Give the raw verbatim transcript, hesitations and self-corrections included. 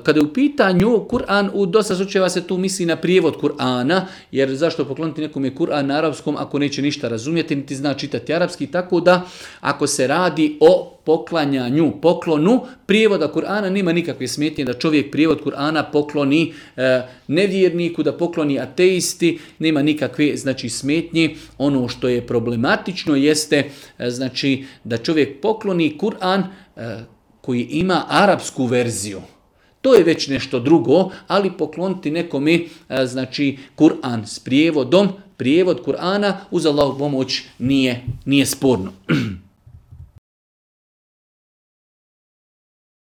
Kada je u pitanju Kur'an, u dosta slučajeva se tu misli na prijevod Kur'ana, jer zašto pokloniti nekom je Kur'an na arapskom ako neće ništa razumjeti, niti zna čitati arapski, tako da ako se radi o poklanjanju, poklonu prijevoda Kur'ana, nema nikakve smetnje da čovjek prijevod Kur'ana pokloni e, nevjerniku, da pokloni ateisti, nema nikakve znači smetnje. Ono što je problematično jeste e, znači da čovjek pokloni Kur'an e, koji ima arapsku verziju. To je već nešto drugo, ali pokloniti nekome e, znači Kur'an s prijevodom, prijevod Kur'ana uz Allahovu pomoć nije, nije sporno.